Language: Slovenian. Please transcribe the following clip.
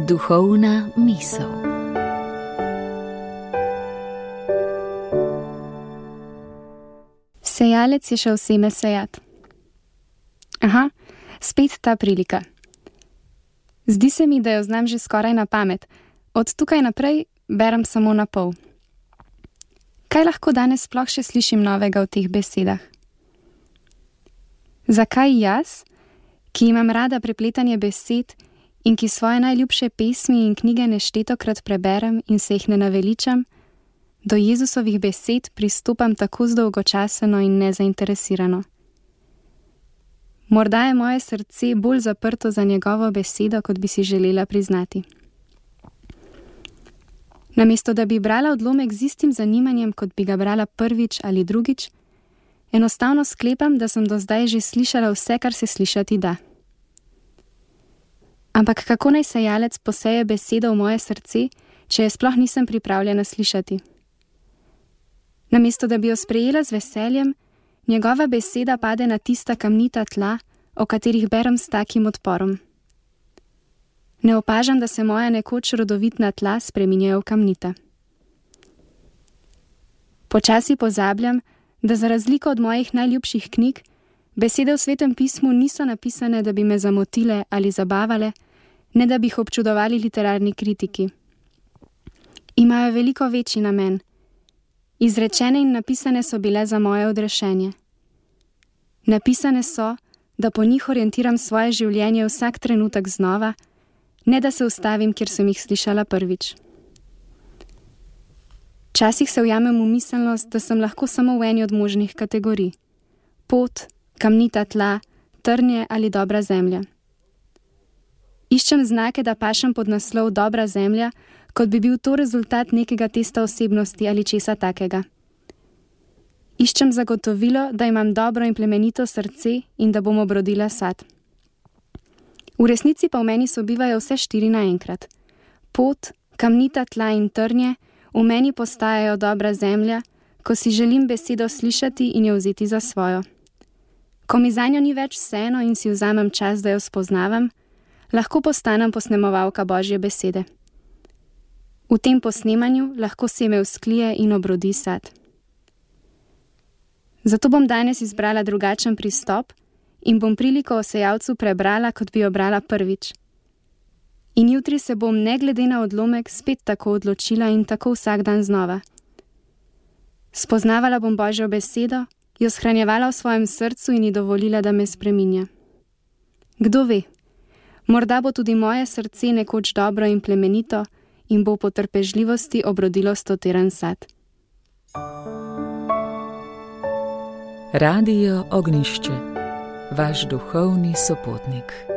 Duhovna misel. Sejalec je šel seme sejat. Aha, spet ta prilika. Zdi se mi, da jo znam že skoraj na pamet. Od tukaj naprej berem samo na pol. Kaj lahko danes sploh še slišim novega v teh besedah? Zakaj jaz, ki imam rada prepletanje besed in ki svoje najljubše pesmi in knjige neštetokrat preberem in se jih ne naveličam, do Jezusovih besed pristopam tako zdolgočaseno in nezainteresirano? Morda je moje srce bolj zaprto za njegovo besedo, kot bi si želela priznati. Namesto da bi brala odlomek z istim zanimanjem, kot bi ga brala prvič ali drugič, enostavno sklepam, da sem do zdaj že slišala vse, kar se slišati da. Ampak kako naj sejalec poseje besedo v moje srce, če je sploh nisem pripravljena slišati? Namesto da bi jo sprejela z veseljem, njegova beseda pade na tista kamnita tla, o katerih berem s takim odporom. Ne opažam, da se moja nekoč rodovitna tla spreminjajo v kamnita. Počasi pozabljam, da za razliko od mojih najljubših knjig, besede v Svetem pismu niso napisane, da bi me zamotile ali zabavale, ne da bi jih občudovali literarni kritiki. Imajo veliko večji namen. Izrečene in napisane so bile za moje odrešenje. Napisane so, da po njih orientiram svoje življenje vsak trenutek znova, ne da se ustavim, kjer sem jih slišala prvič. Včasih se ujamem v miselnost, da sem lahko samo v eni od možnih kategorij. Pot, kamnita tla, trnje ali dobra zemlja. Iščem znake, da pašem pod naslov dobra zemlja, kot bi bil to rezultat nekega testa osebnosti ali česa takega. Iščem zagotovilo, da imam dobro in plemenito srce in da bom obrodila sad. V resnici pa v meni sobivajo vse štiri naenkrat. Pot, kamnita tla in trnje v meni postajajo dobra zemlja, ko si želim besedo slišati in jo vzeti za svojo. Ko mi zanjo ni več vseeno in si vzamem čas, da jo spoznavam, lahko postanem posnemovalka Božje besede. V tem posnemanju lahko seme vzklije in obrodi sad. Zato bom danes izbrala drugačen pristop in bom priliko o sejalcu prebrala, kot bi jo brala prvič. In jutri se bom, ne glede na odlomek, spet tako odločila in tako vsak dan znova. Spoznavala bom Božjo besedo, jo shranjevala v svojem srcu in ji dovolila, da me spreminja. Kdo ve, morda bo tudi moje srce nekoč dobro in plemenito in bo po trpežljivosti obrodilo stotiran sad. Radio Ognjišče, vaš duhovni sopotnik.